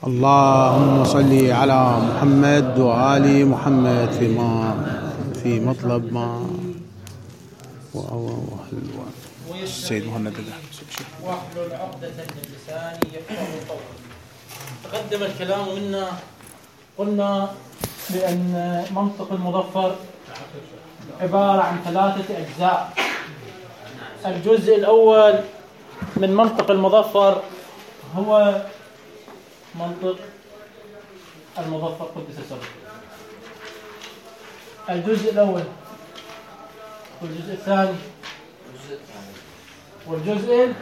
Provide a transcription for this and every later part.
اللهم صل على محمد وآل محمد في مطلب ما السيد مهند واحلل عقدة من لساني يفقهوا قولي. تقدم الكلام منا، قلنا بأن منطق المظفر عبارة عن 3 أجزاء. الجزء الأول من منطق المظفر هو منطق المظفر قدس سره. الجزء الأول والجزء الثاني والجزء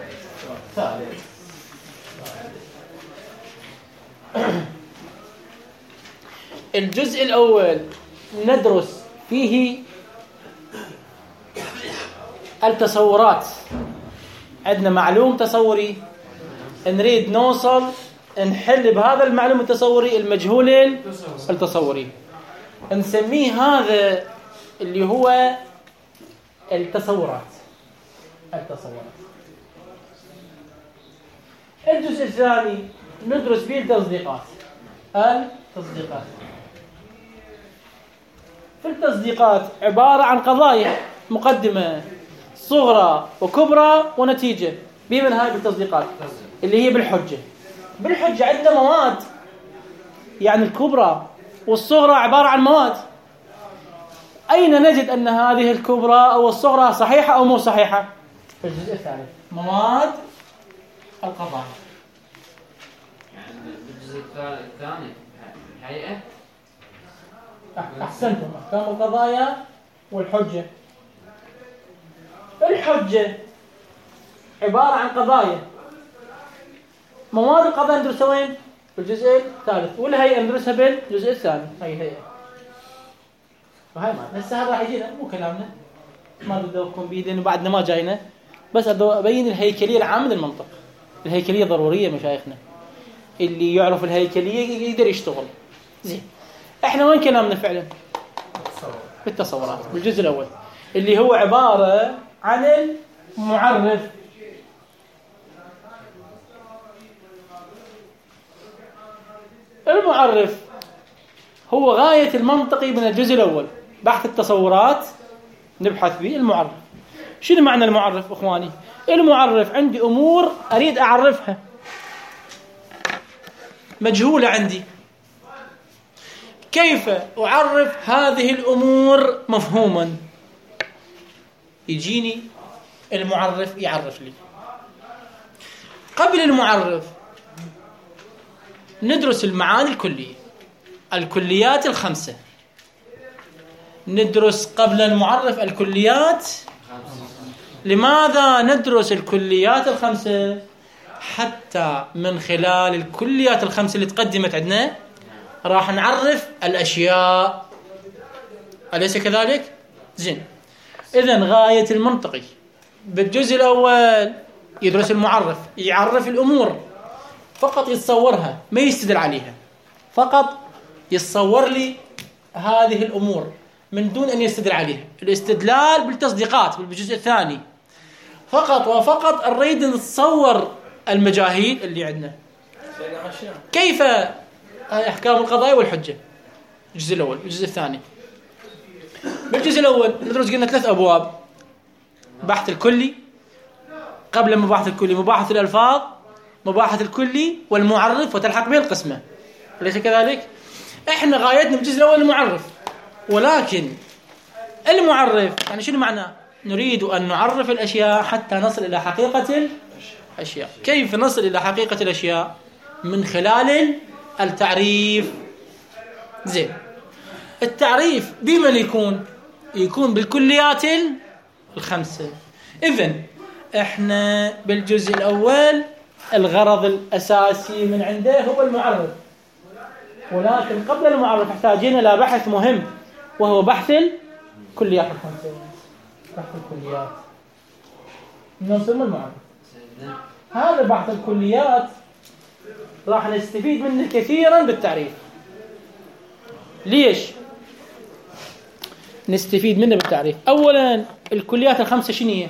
الثالث. الجزء الأول ندرس فيه التصورات. عندنا معلوم تصوري، نريد نوصل نحل بهذا المعلوم التصوري المجهول التصوري، نسميه هذا اللي هو التصورات. الجزء الثاني ندرس فيه التصديقات. في التصديقات عبارة عن قضايا، مقدمة صغرى وكبرى ونتيجة. بمن هاي التصديقات اللي هي بالحجة عندنا مواد، يعني الكبرى والصغرى عبارة عن مواد. أين نجد أن هذه الكبرى أو الصغرى صحيحة أو مو صحيحة؟ في الجزء الثالث، مواد القضايا. يعني الجزء الثاني الهيئة. أحسنتم، أحكام القضايا والحجة. الحجة عبارة عن قضايا. مواد القضايا ندرسها وين؟ في الجزء الثالث، والهيئة ندرسها بالجزء الثاني. هي هيئة. وهي ما هسه هذا راح يجينا، مو كلامنا، ما بدكم بيدين بعدنا ما جاينا، بس أبين الهيكلية العامة للمنطق. الهيكلية ضرورية مشايخنا، اللي يعرف الهيكلية يقدر يشتغل زين. احنا وين كلامنا فعلا؟ بالتصورات، بالجزء الأول اللي هو عبارة عن المعرف. المعرف هو غاية المنطقي من الجزء الأول. بحث التصورات نبحث به المعرف. شنو معنى المعرف أخواني؟ المعرف عندي أمور أريد أعرفها مجهولة عندي، كيف أعرف هذه الأمور مفهوما؟ يجيني المعرف يعرف لي. قبل المعرف ندرس المعاني الكلية، الكليات ال5. ندرس قبل المعرف الكليات. لماذا ندرس الكليات ال5؟ حتى من خلال الكليات ال5 اللي تقدمت عندنا راح نعرف الأشياء، أليس كذلك؟ زين. إذن غاية المنطقي بالجزء الأول يدرس المعرف، يعرف الأمور، فقط يتصورها ما يستدل عليها، فقط يتصور لي هذه الأمور من دون أن يستدل عليها. الاستدلال بالتصديقات بالجزء الثاني. فقط وفقط نريد نتصور المجاهيل اللي عندنا. كيف أحكام القضايا والحجة؟ الجزء الأول. الجزء الثاني بالجزء الأول ندرس قلنا 3 أبواب: بحث الكلي، قبل مباحث الكلي مباحث الألفاظ، مباحث الكلي والمعرف، وتلحق به القسمة، أليس كذلك؟ إحنا غايتنا بالجزء الأول المعرف. ولكن المعرف يعني شنو معناه؟ نريد أن نعرف الأشياء حتى نصل إلى حقيقة الأشياء. كيف نصل إلى حقيقة الأشياء؟ من خلال التعريف. زين. التعريف بمن يكون بالكليات ال5. إذن إحنا بالجزء الأول الغرض الأساسي من عنده هو المعرف، ولكن قبل المعرف محتاجين إلى بحث مهم، وهو بحث الكليات ال5. بحث الكليات نسمى المعرف. هذا بحث الكليات راح نستفيد منه كثيرا بالتعريف. ليش نستفيد منه بالتعريف؟ أولا الكليات ال5 شنو هي؟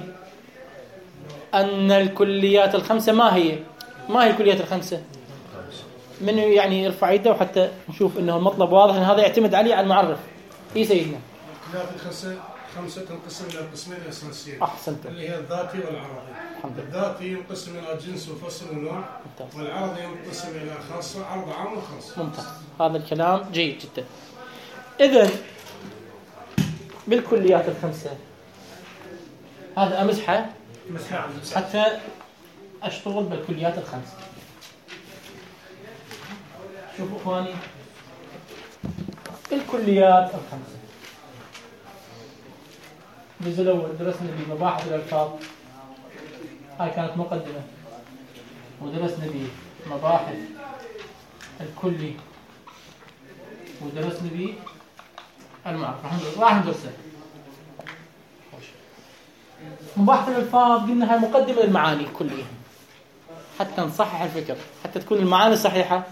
أن الكليات ال5 ما هي؟ ما هي الكليات الخمسة؟ من يعني يرفع يده وحتى نشوف انه المطلب واضح، ان هذا يعتمد عليه على المعرف. اي سيدنا. الكليات خمسة تنقسم الى قسمين اساسيين. احسنت. اللي هي الذاتي والعرضي. الذاتي ينقسم الى جنس وفصل ونوع. والعرضي ينقسم الى خاصة، عرض عام وخاص. ممتاز، هذا الكلام جيد جدا. اذا بالكليات الخمسة هذا امسحه حتى اشتغل بالكليات الخمسة. شوفوا اخواني، الكليات الخمسة. الجزء الاول درسنا به مباحث الالفاظ، هاي كانت مقدمة، ودرسنا به مباحث الكلي، ودرسنا به المعرفة. راح ندرسه. مباحث الالفاظ قلنا هاي مقدمة للمعاني كلها حتى نصحح الفكر، حتى تكون المعاني صحيحة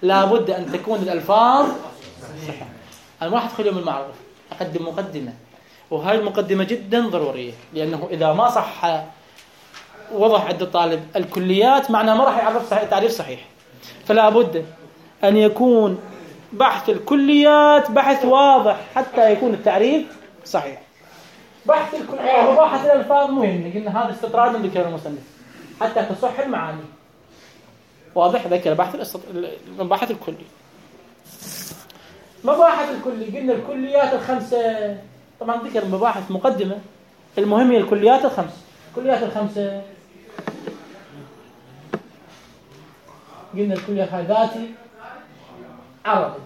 لابد أن تكون الألفاظ صحيحة. أنا ما أدخل يوم المعرفة، أقدم مقدمة، وهاي المقدمة جدا ضرورية، لأنه إذا ما صح وضح عند الطالب الكليات معناه ما راح يعرف تعريف صحيح. فلا بد أن يكون بحث الكليات بحث واضح حتى يكون التعريف صحيح. بحث الكليات وبحث الألفاظ مهم، قلنا هذا استطراد من ذكر المصنف حتى تصح المعاني. واضح؟ ذكر مباحث الكلي. مباحث الكلي قلنا الكليات الخمسة، طبعا ذكر مباحث مقدمة، المهم هي الكليات الخمسة. الكليات الخمسة قلنا الكليات هاي ذاتي، عرضي.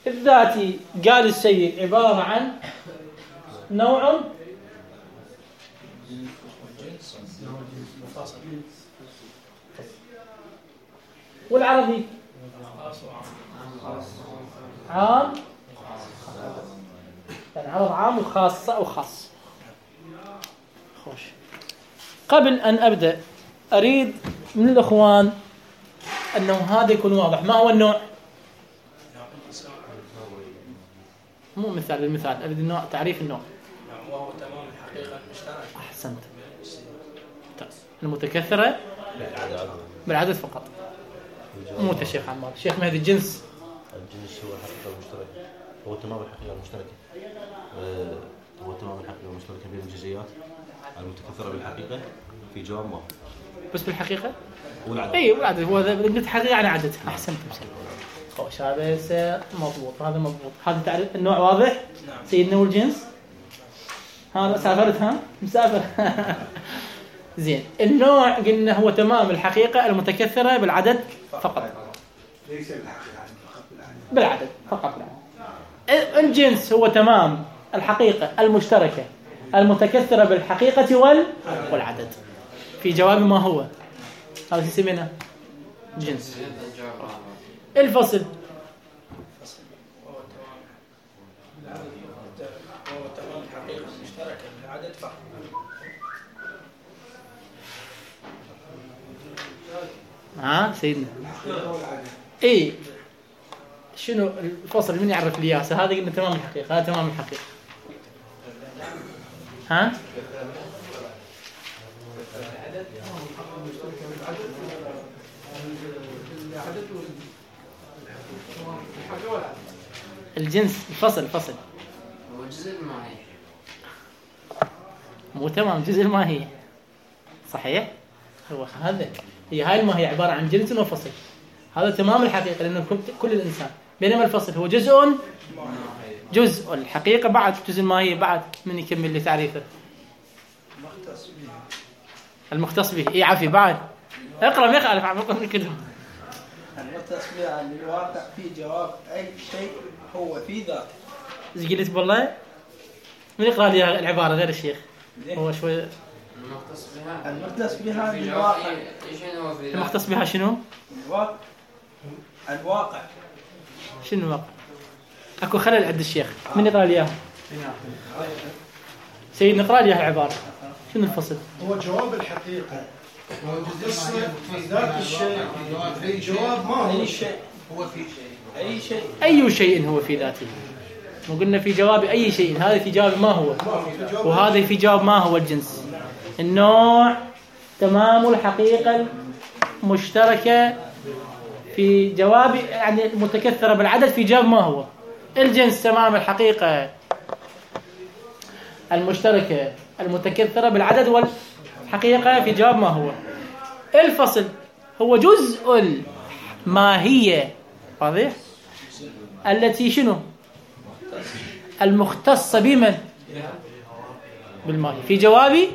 الذاتي قال السيد عبارة عن نوع والعربي عام، يعني عرض عام وخاصة وخاص. خوش. قبل أن أبدأ أريد من الأخوان أنه هذا يكون واضح. ما هو النوع؟ مو مثال، المثال أريد النوع، تعريف النوع. وهو تمام الحقيقة المشتركة. أحسنت. المتكثرة بالعدد فقط. مو الشيخ عمار، الشيخ مهدي الجنس. الجنس هو الحقيقة المشتركة، هو تمام الحقيقة المشتركة، هو تمام الحقيقة المشتركة بين الجزئيات المتكثرة بالحقيقة في جواب واحد. بس بالحقيقة؟ والعدد. اي والعدد، هو قلت حقيقة يعني عدد. أحسنت بسم. خوش، هذا مضبوط، هذا مضبوط. هذا تعريف النوع واضح؟ نعم. سيدنا والجنس. هذا سافرت ها؟ مسافر. زين. النوع قلنا هو تمام الحقيقة المتكثرة بالعدد فقط. ليس بالحقيقة بالعدد فقط. الجنس هو تمام الحقيقة المشتركة المتكثرة بالحقيقة والعدد. في جواب ما هو؟ هذا يسمونه جنس. الفصل وهو تمام الحقيقة المشتركة بالعدد فقط. سيدنا. اي شنو الفصل؟ من يعرف لي اياه؟ هذا قلنا تمام الحقيقة، هذا تمام الحقيقة. ها؟ الجنس الفصل هو جزء الماهي، مو تمام جزء الماهية. صحيح؟ هو هذا، هي هاي الماهية عبارة عن جنس وفصل. هذا تمام الحقيقة لأنه كل الإنسان، بينما الفصل هو جزء الحقيقة بعد جزء الماهية بعد. من يكمل لي تعريفه؟ المختص به. اي عافي بعد اقرأ، ما يخالف عمكم كلهم. المختص به أن الواقع في جواب أي شيء هو في ذاته. ايش قلت والله؟ من يقرأ لي العبارة غير الشيخ؟ هو شوي. المختص بها الواقع. المختص بها شنو؟ الواقع. شنو الواقع؟ اكو خلل عند الشيخ. من يقرأ لي اياها؟ سيد نقرأ لي العبارة. شنو الفصل؟ هو جواب الحقيقة والقصة في ذات الشيء، في جواب ما هو شيء، هو في شيء، أي شيء هو في ذاته. وقلنا في جواب أي شيء، هذا في جواب ما هو، وهذا في جواب ما هو الجنس. النوع تمام الحقيقة المشتركة في جواب، يعني المتكثرة بالعدد في جواب ما هو؟ الجنس تمام الحقيقة المشتركة المتكثرة بالعدد والحقيقة في جواب ما هو؟ الفصل هو جزء الماهية، واضح؟ التي شنو؟ المختصة بمن؟ بالماهية. في جوابي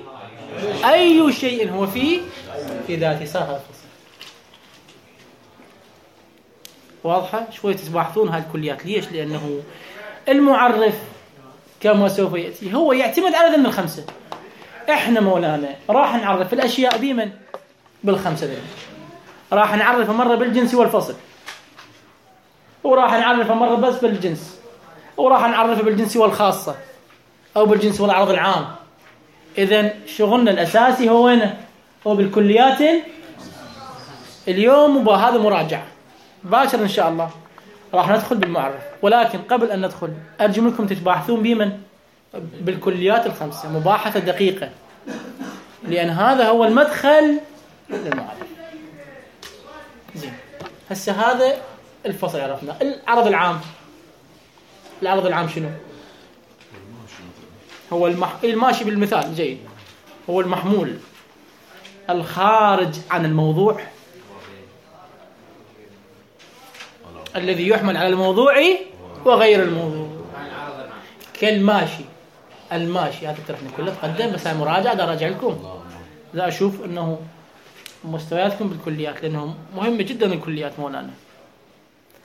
أي شيء هو في ذاته. صار هذا الفصل واضحة؟ شوي تبحثون هالكليات. ليش؟ لأنه المعرف كما سوف يأتي هو يعتمد على ذم الخمسة. احنا مولانا راح نعرف الأشياء بمن؟ بالخمسة ذي. راح نعرف مرة بالجنس والفصل، وراح نعرف مرة بس بالجنس، وراح نعرف بالجنس والخاصة أو بالجنس والعرض العام. إذن شغلنا الأساسي هو وين؟ هو بالكليات اليوم، وبهذا مراجعة باكر إن شاء الله راح ندخل بالمعرف. ولكن قبل أن ندخل أرجو منكم تتباحثون بمن؟ بالكليات الخمسة، مباحثة دقيقة، لأن هذا هو المدخل للمعرف. زين، هسه هذا الفصل عرفنا. العرض العام، العرض العام شنو؟ هو الماشي بالمثال جيد، هو المحمول الخارج عن الموضوع الذي يحمل على الموضوع وغير الموضوع. كالماشي، الماشي هذا الترفنا كله تقدم، بس مراجعة دا راجع لكم، لا أشوف أنه مستوياتكم بالكليات، لأنه مهمة جدا الكليات مولانا.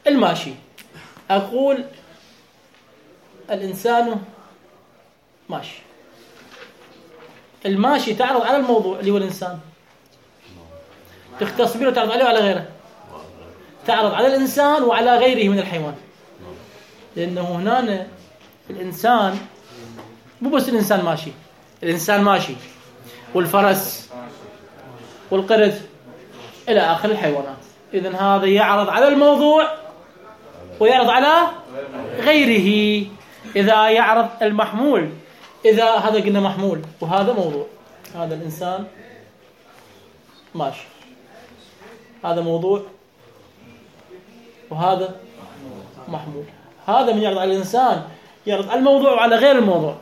الماشي، أقول الإنسان ماشي. الماشي تعرض على الموضوع اللي هو الإنسان، تختص به وتعرض عليه وعلى غيره، تعرض على الإنسان وعلى غيره من الحيوان. لأنه هنا الإنسان مو بس الإنسان ماشي، الإنسان ماشي والفرس والقرد إلى آخر الحيوانات. إذن هذا يعرض على الموضوع ويعرض على غيره. إذا يعرض المحمول، إذا هذا قلنا محمول وهذا موضوع، هذا الإنسان ماشي، هذا موضوع وهذا محمول. هذا من يعرض على الإنسان يعرض على الموضوع وعلى غير الموضوع،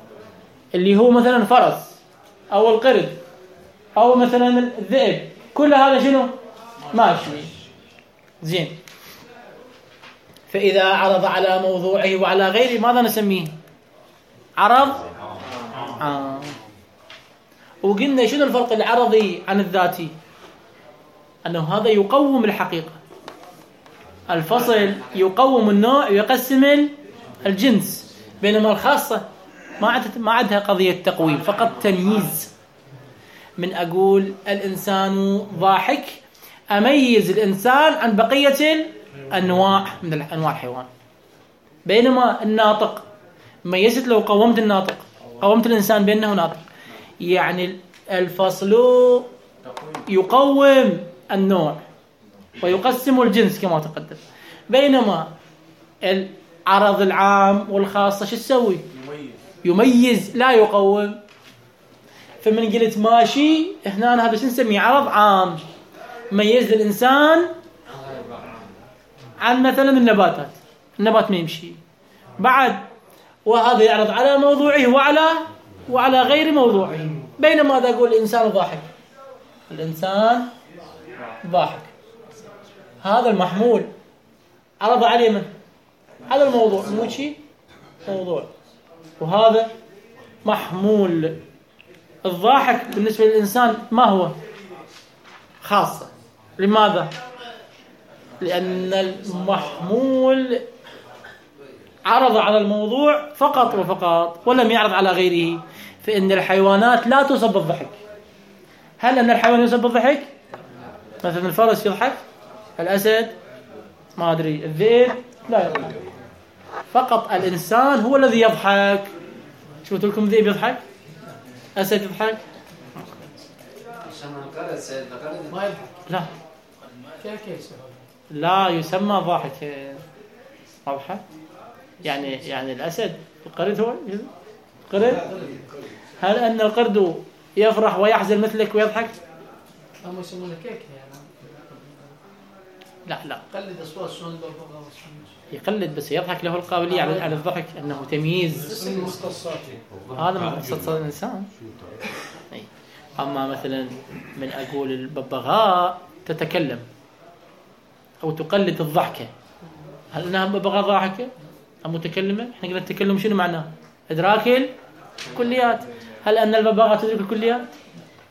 اللي هو مثلا فرس أو القرد أو مثلا الذئب، كل هذا شنو؟ ماشي. زين، فإذا عرض على موضوعه وعلى غيره ماذا نسميه؟ عرض عام. وقلنا شنو الفرق العرضي عن الذاتي؟ أنه هذا يقوم الحقيقة، الفصل يقوم النوع ويقسم الجنس، بينما الخاصة ما عندها قضية تقويم، فقط تمييز. من أقول الإنسان ضاحك أميز الإنسان عن بقية الأنواع من أنواع الحيوان، بينما الناطق ميزت لو قومت الناطق، قومت الإنسان بأنه ناطق، يعني الفصل يقوم النوع ويقسم الجنس كما تقدم. بينما العرض العام والخاصة شو تسوي؟ يميز لا يقوم. فمن قلت ماشي هنا هذا شو نسميه؟ عرض عام، ميز الإنسان عن مثلا النباتات، النبات ما يمشي بعد، وهذا يعرض على موضوعه وعلى غير موضوعه. بينما هذا أقول الإنسان ضاحك، الإنسان ضاحك، هذا المحمول عرض عليه من؟ على الموضوع، مو شيء موضوع، وهذا محمول. الضاحك بالنسبة للإنسان ما هو؟ خاصة. لماذا؟ لأن المحمول عرض على الموضوع فقط وفقط ولم يعرض على غيره. فإن الحيوانات لا تصب بالضحك. هل أن الحيوان يصب بالضحك؟ مثلا الفرس يضحك، الأسد ما أدري، الذئب لا يضحك، فقط الإنسان هو الذي يضحك. شو قلت لكم؟ ذئب يضحك، أسد يضحك، ما يضحك. لا لا يسمى ضاحك. واضحة؟ يعني الأسد، القرد هو القرد. هل أن القرد يفرح ويحزن مثلك ويضحك؟ هم يسمونه كيك يعني. لا قلد اصوات شلون الببغاء يقلد بس يضحك، له القابلية على الضحك، أنه تمييز. هذا من مختصات الإنسان. أما مثلا من أقول الببغاء تتكلم أو تقلد الضحكة، هل أنها ببغاء ضاحكة أم متكلمة؟ إحنا قلنا التكلم شنو معناه؟ إدراك الكليات. هل أن الببغاء تدرك الكليات؟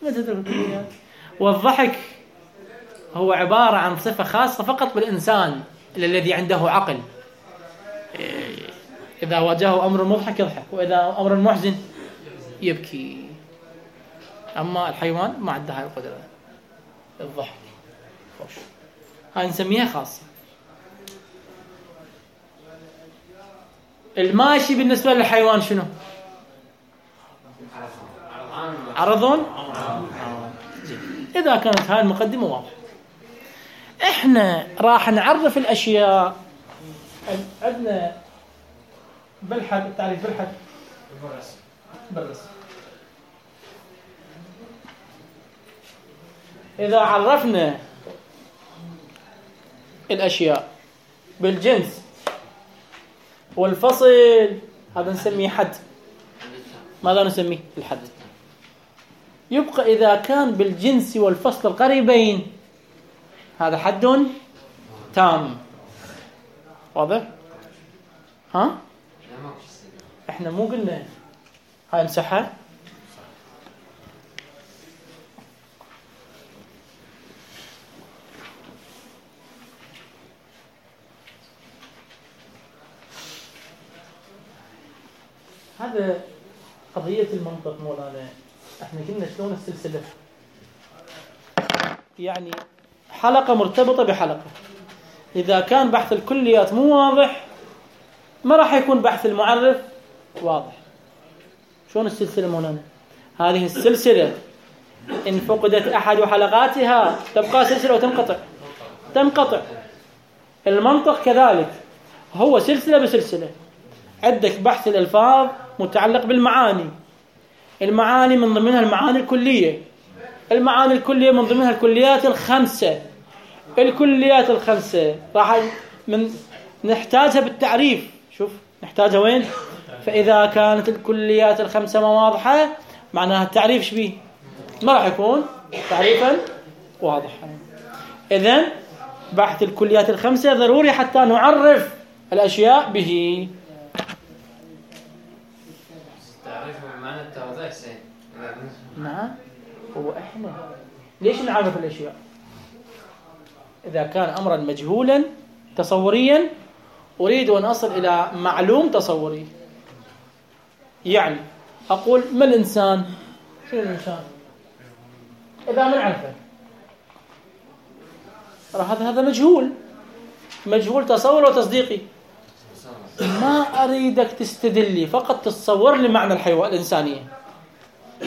ما تدرك الكليات. والضحك هو عبارة عن صفة خاصة فقط بالإنسان الذي عنده عقل. إذا واجهه أمر مضحك يضحك، وإذا أمر محزن يبكي. أما الحيوان ما عنده هاي القدرة الضحك. هاي نسميها خاصة. الماشي بالنسبة للحيوان شنو؟ عرض. إذا كانت هاي المقدمة واضحة، إحنا راح نعرف الأشياء. عندنا بالحد التعريف بالحد بالرسم. إذا عرفنا الأشياء بالجنس والفصل هذا نسميه حد. ماذا نسميه؟ الحد. يبقى إذا كان بالجنس والفصل القريبين هذا حد تام. واضح؟ ها؟ احنا مو قلنا هاي مسحها؟ هذا قضية المنطق مولانا. احنا قلنا شلون السلسلة، يعني حلقة مرتبطة بحلقة. إذا كان بحث الكليات مو واضح ما راح يكون بحث المعرف واضح. شلون السلسلة مولانا؟ هذه السلسلة إن فقدت أحد حلقاتها تبقى سلسلة وتنقطع. تنقطع. المنطق كذلك، هو سلسلة بسلسلة. عندك بحث الألفاظ متعلق بالمعاني. المعاني من ضمنها المعاني الكلية. المعاني الكلية من ضمنها الكليات الخمسة. الكليات الخمسة راح نحتاجها بالتعريف. شوف نحتاجها وين؟ فإذا كانت الكليات الخمسة ما واضحة معناها التعريف شبيه ما راح يكون تعريفا واضحا. إذن بحث الكليات الخمسة ضروري حتى نعرف الأشياء به. تعريف معنى التوضيح سين. نعم. هو إحنا ليش نعرف الأشياء؟ إذا كان أمرا مجهولا تصوريا أريد أن أصل إلى معلوم تصوري. يعني أقول ما الإنسان؟ شنو الإنسان؟ إذا ما نعرفه هذا مجهول تصور وتصديقي. ما أريدك تستدلي، فقط تصور لي معنى الحيوان الإنسانية،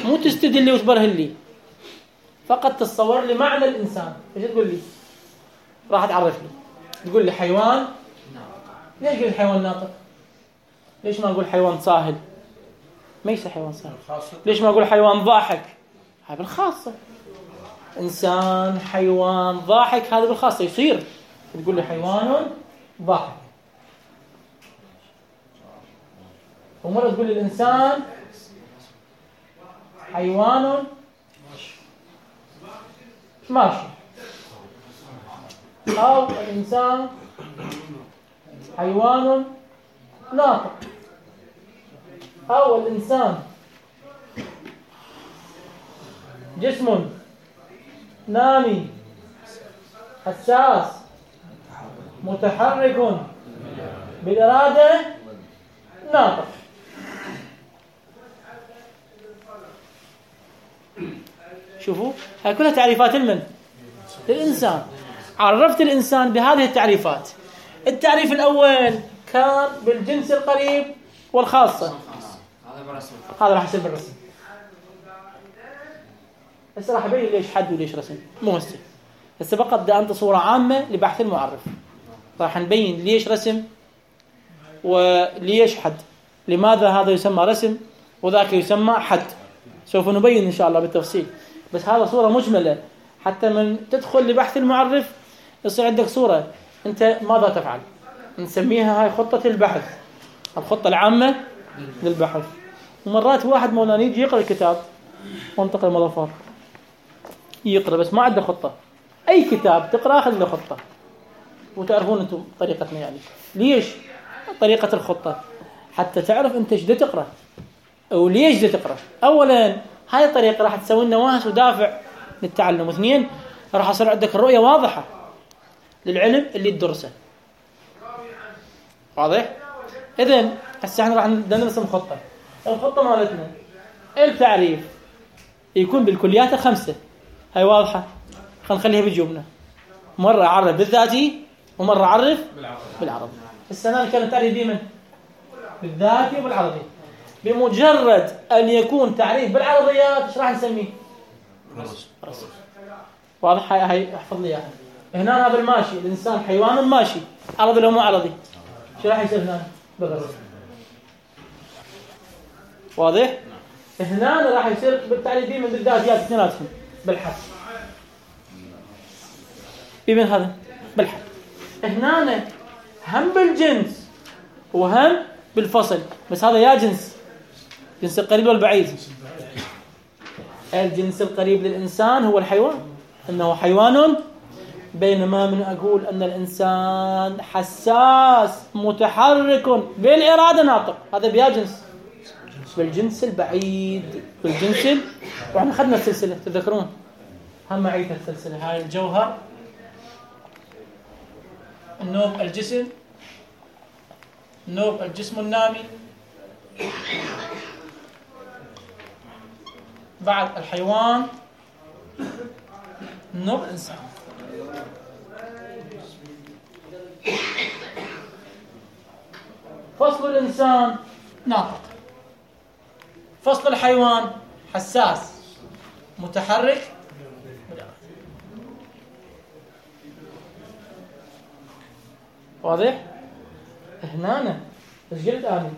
مو تستدلي وتبرهن لي، فقط تصور لي معنى الإنسان. إيش تقول لي؟ راح تعرف لي، تقول لي حيوان. ليش قلت حيوان ناطق؟ ليش ما أقول حيوان صاهل؟ ما يصير حيوان صاهل. ليش ما أقول حيوان ضاحك؟ هذا بالخاصة. إنسان حيوان ضاحك هذا بالخاصة يصير. تقول لي حيوان ضاحك، ومرة تقول لي الإنسان حيوان ماشي، أو الإنسان حيوان ناطق، أو الإنسان جسم نامي حساس متحرك بالإرادة ناطق. شوفوا هاي كلها تعريفات للإنسان. عرفت الإنسان بهذه التعريفات. التعريف الأول كان بالجنس القريب والخاصة، هذا راح يصير بالرسم. هسه راح أبين ليش حد وليش رسم، مو هسه فقط بدي أنطي صورة عامة لبحث المعرف. راح نبين ليش رسم وليش حد، لماذا هذا يسمى رسم وذاك يسمى حد. سوف نبين إن شاء الله بالتفصيل، بس هذا صورة مجملة حتى من تدخل لبحث المعرف يصير عندك صورة أنت ماذا تفعل. نسميها هاي خطة البحث، الخطة العامة للبحث. ومرات واحد مولانا يجي يقرأ الكتاب منطقة المظفر يقرأ بس ما عنده خطة. أي كتاب تقرأ أخذ له خطة. وتعرفون أنتم طريقتنا يعني ليش طريقة الخطة؟ حتى تعرف أنت ايش دا تقرأ وليش دا تقرأ. أولا هاي الطريقة راح تسوي لنا واهس ودافع للتعلم. واثنين راح يصير عندك الرؤية واضحة للعلم اللي تدرسه. واضح؟ إذن هسه احنا راح نرسم خطة. الخطة مالتنا التعريف يكون بالكليات الخمسة. هاي واضحة. خلينا نخليها بجيوبنا. مرة أعرف بالذاتي ومرة أعرف بالعربي. السنة كانت تعريف بمن؟ بالذاتي وبالعربي. بمجرد أن يكون تعريف بالعربيات ايش راح نسميه؟ رسم. واضح؟ هاي احفظ لي اياها. هنا هذا الماشي الإنسان حيوان ماشي عربي لو مو عربي شو راح يصير هنا؟ بالرسم. واضح؟ هنا راح يصير بالتعريف بمن بالذاتيات اثنيناتهم بالحث. بمن هذا؟ بالحث. هنا هم بالجنس وهم بالفصل. بس هذا يا جنس القريب والبعيد. الجنس القريب للإنسان هو الحيوان، إنه حيوان. بينما من أقول أن الإنسان حساس متحرك بالإرادة ناطق، هذا بيا جنس. بالجنس البعيد بالجنس وإحنا أخذنا السلسلة تذكرون هم معيت السلسلة. هاي الجوهر النوب الجسم، نوب الجسم النامي، بعد الحيوان، نوب الإنسان. فصل الإنسان ناطق، فصل الحيوان حساس متحرك. واضح؟ هنا ايش قلت انا؟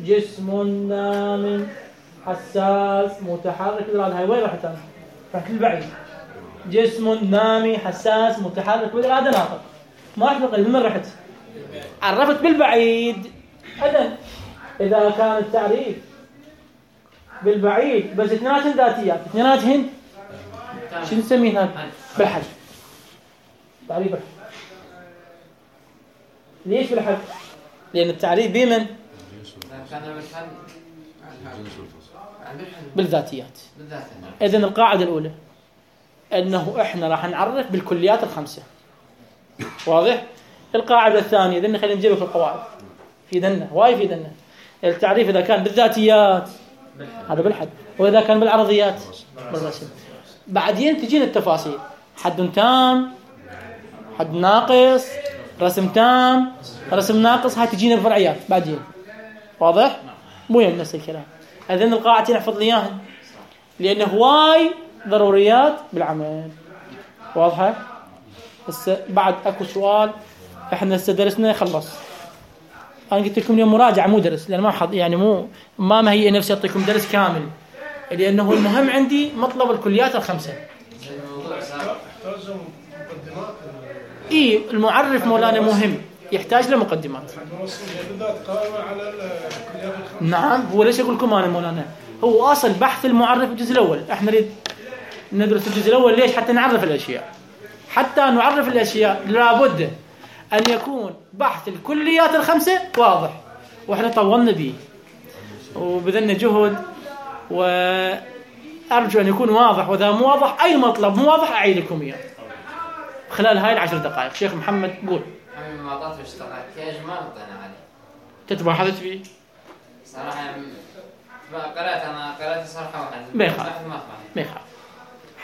جسم نام حساس متحرك. هاي وين رحت انا؟ رحت البعيد. جسم نامي حساس متحرك بالإرادة ناطق. ما رحت بالقريب. من رحت؟ عرفت بالبعيد. إذا كان التعريف بالبعيد بس اثنيناتهن ذاتيات، اثنيناتهن شو نسميها؟ بالحد. تعريف بالحد. ليش بالحد؟ لأن التعريف بمن؟ بالذاتيات. إذن القاعدة الأولى أنه إحنا راح نعرف بالكليات الخمسة. واضح؟ القاعدة الثانية إذن خلينا نجيبك في القواعد في دنا واي في دنا. التعريف إذا كان بالذاتيات هذا بالحد، وإذا كان بالعرضيات بالرسم. بعدين تجينا التفاصيل، حد تام، حد ناقص، رسم تام، رسم ناقص. هاي تجينا بفرعيات بعدين. واضح؟ مو يهم نفس الكلام. هذين القاعدتين احفظ لي اياهن لأنه هواي ضروريات بالعمل. واضحة؟ بس بعد اكو سؤال احنا درسنا خلص. انا قلت لكم اليوم مراجعة مو درس، لأن ما حظ يعني مو ما هي نفسي اعطيكم درس كامل، لأنه المهم عندي مطلب الكليات الخمسة. اي المعرف مولانا مهم يحتاج له مقدمات. نعم هو ليش اقول لكم انا مولانا هو اصل بحث المعرف الجزء الاول. احنا نريد ندرس الجزء الاول ليش؟ حتى نعرف الاشياء. حتى نعرف الاشياء لابد ان يكون بحث الكليات الخمسه واضح، واحنا طولنا به وبذلنا جهد، وارجو ان يكون واضح. واذا مو واضح اي مطلب مو واضح اعيد لكم اياه خلال هاي 10 دقائق. شيخ محمد قول. ما طلعت اشتغلت كاجمال طلعنا عليه. تتبع حدث فيه صراحه قرأت صراحه واحد ما يخالف.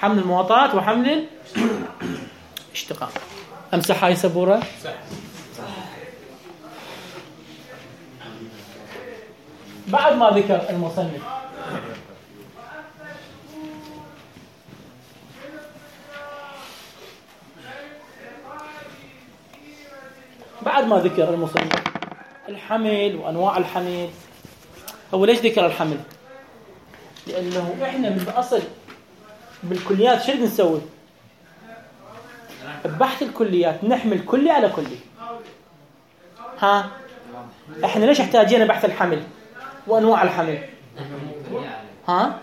حمل المواطات وحمل الاشتقاق. امسح هاي سبوره. بعد ما ذكر المصنف الحمل وأنواع الحمل. هو ليش ذكر الحمل؟ لأنه إحنا من الأصل بالكليات شو نسوي؟ ببحث الكليات نحمل كلي على كلي. ها احنا ليش احتاجين بحث الحمل وانواع الحمل؟ ها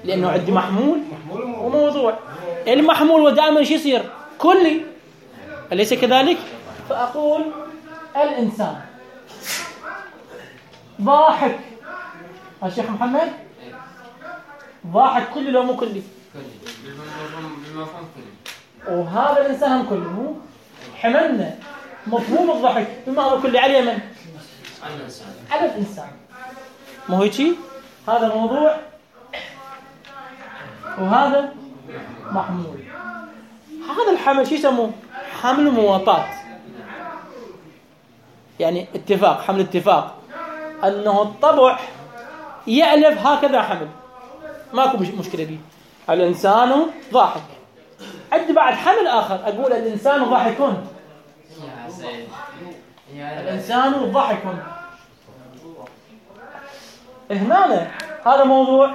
لانه عندي محمول وموضوع. المحمول ودائما شو يصير؟ كلي، أليس كذلك؟ فأقول الإنسان ضاحك. الشيخ محمد ضاحك كلي لو مو كلي؟ بالمفهوم كلي. وهذا الإنسان هم كلي. مو حملنا مفهوم الضحك بما هو كلي على من؟ على الإنسان. مو هيك؟ هذا موضوع وهذا محمول. هذا الحمل شو يسموه؟ حمل مواطات. يعني اتفاق، حمل اتفاق أنه الطبع يألف هكذا حمل، ماكو مشكلة دي. الإنسان ضاحك. عندي بعد حمل آخر أقول الإنسان ضاحكون. الإنسان ضاحكون. هنا هذا موضوع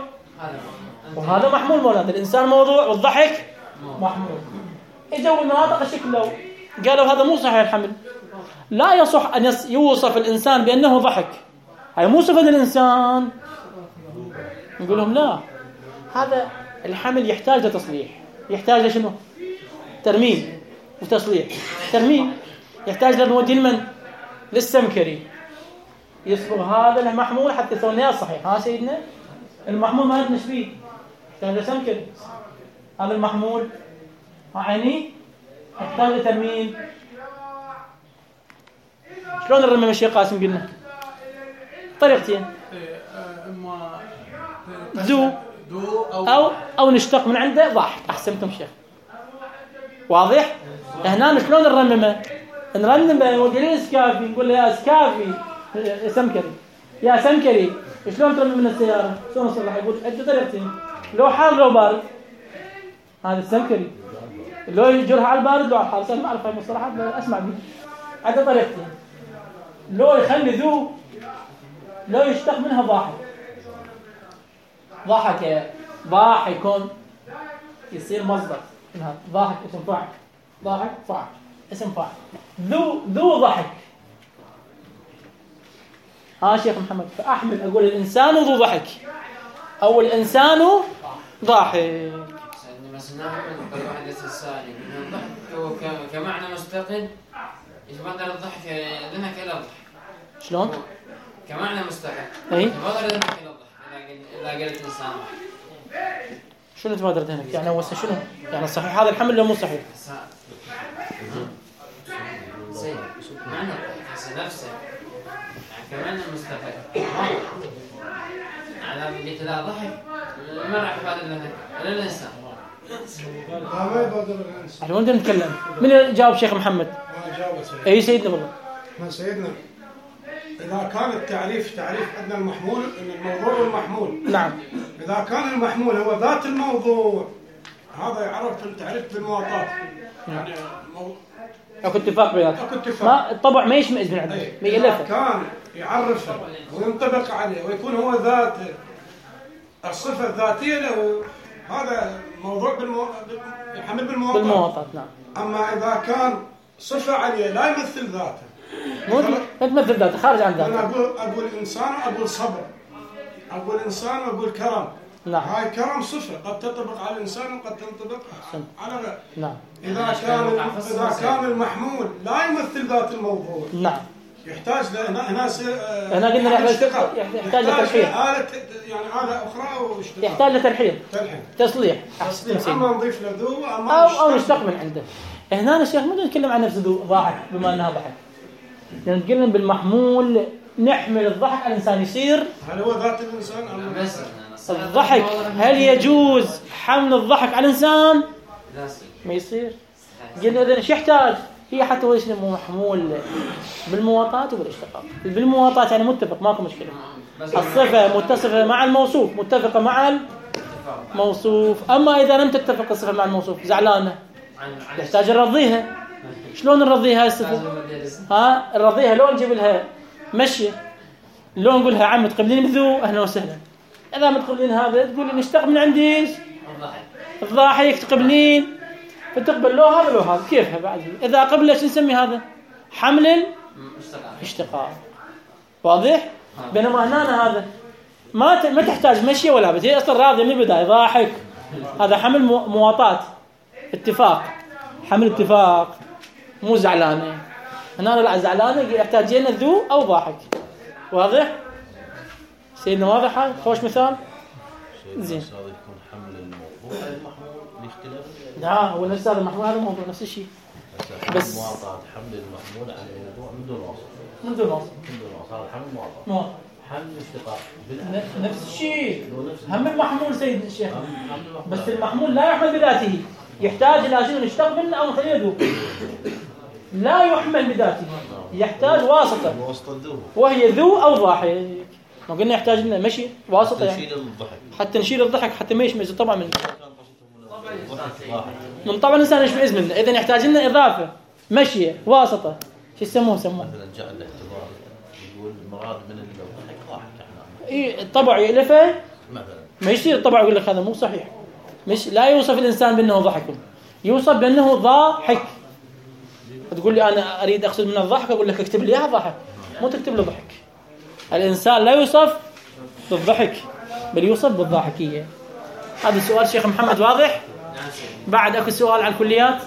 وهذا محمول. مولانا الإنسان موضوع والضحك محمول. إجوا المناطق الشكل لو قالوا هذا مو صحيح الحمل، لا يصح أن يوصف الإنسان بأنه ضحك، هاي مو صفة الإنسان. نقول لهم لا، هذا الحمل يحتاج لتصليح. يحتاج لشنو؟ ترميم وتصليح. ترميم يحتاج لنودي المن للسمكري يصبغ هذا المحمول حتى يصير لنا صحيح. ها سيدنا المحمول ما عندنا فيه، يحتاج لسمكري. هذا المحمول عيني يحتاج لترميم. شلون نرمم الشيخ قاسم؟ قلنا طريقتين، اما ذو او نشتق من عنده ضحك. احسنتم شيخ، واضح. هنا شلون نرممه؟ نرممه ونقول اسكافي، نقول له يا اسكافي سمكري، يا سمكري شلون ترمم من السياره؟ شلون نصلح؟ يقول عده طريقتين، لو حار لو بارد. هذا السمكري لو يجرها على البارد لو على الحار. صار ما اعرف هاي المصطلحات اسمع بيه. عده طريقتين، لو يخلي ذو، لو يشتق منها ضاحك. ضحك ضاحكون يصير مصدر. ضاحك اسم فاعل، ضاحك فاعل اسم فاعل. ذو ضحك. ها شيخ محمد، فأحمل أقول الإنسان ذو ضحك أو الإنسان ضاحك. مثلا ناخذ واحد السؤال يقول الضحك هو كمعنى مستقل يتبادل الضحك ذهنك الى الضحك. شلون؟ كمعنى مستقل اي يتبادل ذهنك الى الضحك اذا قلت انسان ضحك. شنو تبادر ذهنك؟ يعني هو شنو؟ يعني صحيح هذا الحمل ولا مو صحيح؟ معنى الضحك نفسه يعني كمعنى مستقل. على قلت لا ضحك ما راح يبادل ذهنك الا الانسان. ما يبادر الانسان. احنا وين نتكلم؟ من جاوب شيخ محمد؟ ما جاوب سيدنا. اي سيدنا والله. ما سيدنا إذا كان التعريف عندنا المحمول الموضوع والمحمول. نعم. إذا كان المحمول هو ذات الموضوع هذا يعرف التعريف بالمواطات. يعني اكو اتفاق بيناتهم. اكو اتفاق. ما الطبع ما يشمئز من عنده، ما يألفه. كان يعرفه وينطبق عليه ويكون هو ذاته الصفة الذاتية له، هذا موضوع يحمل بالمواطات. نعم. أما إذا كان صفة عليه لا يمثل ذاته، مو تمثل ذاته، خارج عن ذاته. أنا أقول إنسان وأقول صبر، أقول إنسان وأقول كرم. نعم. هاي كرم صفة قد تنطبق على الإنسان وقد تنطبق على غيره. نعم. إذا كان المحمول لا يمثل ذات الموضوع. نعم. يحتاج هنا قلنا يحتاج لترحيل. يعني آلة أخرى واشتغال. يحتاج لترحيل. تصليح. أما نضيف له ذو أو نشتق من عنده. هنا الشيخ مو نتكلم عن نفس ذو ضاحك بما أنها ضحك. يعني نتكلم بالمحمول نحمل الضحك على الإنسان يصير. هل هو ذات الإنسان أم الضحك؟ هل يجوز حمل الضحك على الإنسان؟ ما يصير. قلنا إذا إيش يحتاج؟ هي حتى هو اسمه محمول بالمواطات وبالاشتقاق. بالمواطات يعني متفق، ماكو مشكلة. الصفة متصفة مع الموصوف، متفقة مع الموصوف. أما إذا لم تتفق الصفة مع الموصوف زعلانة، يحتاج نرضيها. شلون نرضيها الصفة؟ ها نرضيها لو نجيب لها مشية، لو نقول لها عم تقبلين بذو أهلا وسهلا. إذا ما تقبلين هذا تقول لي نشتق من عندي الضاحك تقبلين فتقبل لو هذا لو هذا كيفها بعد. إذا قبل شو نسمي هذا؟ حمل اشتقاق. واضح؟ بينما هنا هذا ما تحتاج مشي ولا بس، هي أصلا راضية من البداية ضاحك، هذا حمل مواطاة اتفاق، حمل اتفاق مو زعلانة. هنا لا زعلانة يحتاج لنا ذو أو ضاحك. واضح؟ سيدنا واضح هذا؟ خوش مثال؟ زين. هذا يكون حمل الموضوع المحمول باختلاف. لا هو نفس هذا المحمول، هذا الموضوع نفس الشيء. بس مواطاة حمل المحمول على الموضوع من دون وصف. من دون وصف. هذا حمل مواطاة. حمل اشتقاق. نفس الشيء. هم المحمول سيد الشيخ. بس المحمول لا يحمل بذاته، يحتاج إلى شيء نشتق منه أو نخليه ذو. لا يحمل بذاته، يحتاج واسطة. وهي ذو أو ضاحك. ما قلنا يحتاج لنا مشي واسطة يعني. حتى نشيل الضحك حتى ما يشمئز طبعا من طبعا الإنسان يشمئز منه. إذا يحتاج لنا إضافة مشي واسطة. شو يسموه؟ مثلا جاء الاعتبار يقول المراد من الضحك ضاحك احنا. إيه الطبع يألفه مثلا. ما يصير الطبع يقول لك هذا مو صحيح. مش لا يوصف الإنسان بأنه ضحك، يوصف بأنه ضاحك. تقول لي أنا أريد أقصد من الضحك، أقول لك اكتب لي إياها ضحك، مو تكتب له ضحك. الإنسان لا يوصف بالضحك بل يوصف بالضاحكية. هذا السؤال شيخ محمد واضح؟ بعد أكو سؤال على الكليات،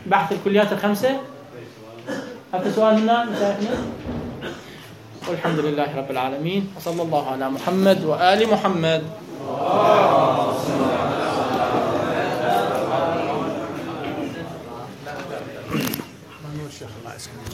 بحث الكليات الخمسة. أكو سؤال هنا مشايخنا؟ والحمد لله رب العالمين، وصلى الله على محمد وآل محمد. الشيخ الله يسلمك.